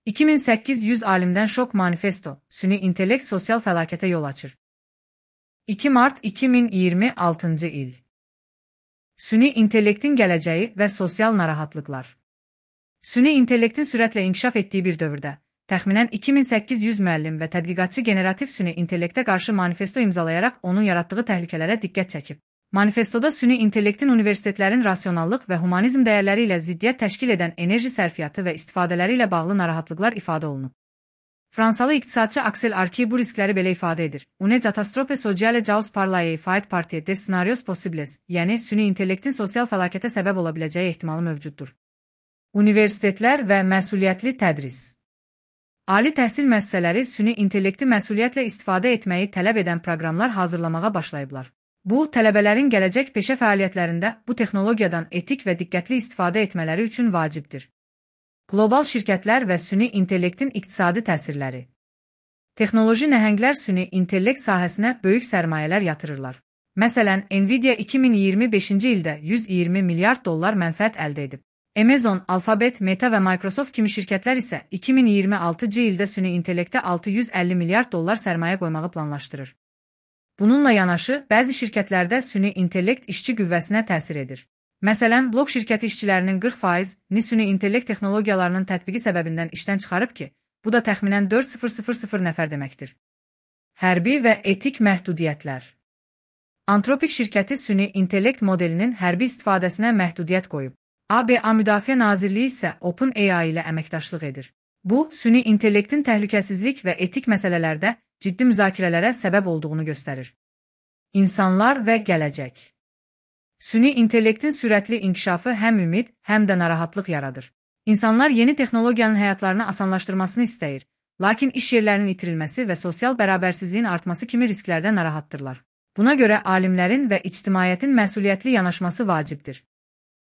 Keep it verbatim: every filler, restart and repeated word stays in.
iki min səkkiz yüz alimdən şok manifesto, süni intellekt sosial fəlakətə yol açır. iki mart iki min iyirmi altıncı il. Süni intellektin gələcəyi və sosial narahatlıqlar. Süni intellektin sürətlə inkişaf etdiyi bir dövrdə, təxminən iki min səkkiz yüz müəllim və tədqiqatçı generativ süni intellektə qarşı manifesto imzalayaraq onun yaratdığı təhlükələrə diqqət çəkib. Manifestoda süni intellektin universitetlərin rasionallıq və humanizm dəyərləri ilə ziddiyyət təşkil edən enerji sərfiyyatı və istifadələri ilə bağlı narahatlıqlar ifadə olunub. Fransalı iqtisadçı Aksel Arki bu riskləri belə ifadə edir. Une katastrofe sociale caus parlaye fait partie des scenarios possibles, yəni süni intellektin sosial fəlakətə səbəb ola biləcəyi ehtimalı mövcuddur. Universitetlər və məsuliyyətli tədris. Ali təhsil müəssisələri süni intellekti məsuliyyətlə istifadə etməyi tələb edən proqramlar hazırlamağa başlayıblar. Bu, tələbələrin gələcək peşə fəaliyyətlərində bu texnologiyadan etik və diqqətli istifadə etmələri üçün vacibdir. Qlobal şirkətlər və süni intellektin iqtisadi təsirləri. Texnoloji nəhənglər süni intellekt sahəsinə böyük sərmayələr yatırırlar. Məsələn, Nvidia iki min iyirmi beşinci ildə yüz iyirmi milyard dollar mənfəət əldə edib. Amazon, Alphabet, Meta və Microsoft kimi şirkətlər isə iki min iyirmi altıncı ildə süni intellektə altı yüz əlli milyard dollar sərmayə qoymağı planlaşdırır. Bununla yanaşı, bəzi şirkətlərdə süni intellekt işçi qüvvəsinə təsir edir. Məsələn, blok şirkəti işçilərinin qırx faizini süni intellekt texnologiyalarının tətbiqi səbəbindən işdən çıxarıb ki, bu da təxminən dörd min nəfər deməkdir. Hərbi və etik məhdudiyyətlər. Antropik şirkəti süni intellekt modelinin hərbi istifadəsinə məhdudiyyət qoyub. A B A Müdafiə Nazirliyi isə OpenAI ilə əməkdaşlıq edir. Bu, süni intellektin təhlükəsizlik və etik məsələlərdə ciddi müzakirələrə səbəb olduğunu göstərir. İnsanlar və gələcək. Süni intellektin sürətli inkişafı həm ümid, həm də narahatlıq yaradır. İnsanlar yeni texnologiyanın həyatlarını asanlaşdırmasını istəyir, lakin iş yerlərinin itirilməsi və sosial bərabərsizliyin artması kimi risklərdən narahatdırlar. Buna görə alimlərin və ictimaiyyətin məsuliyyətli yanaşması vacibdir.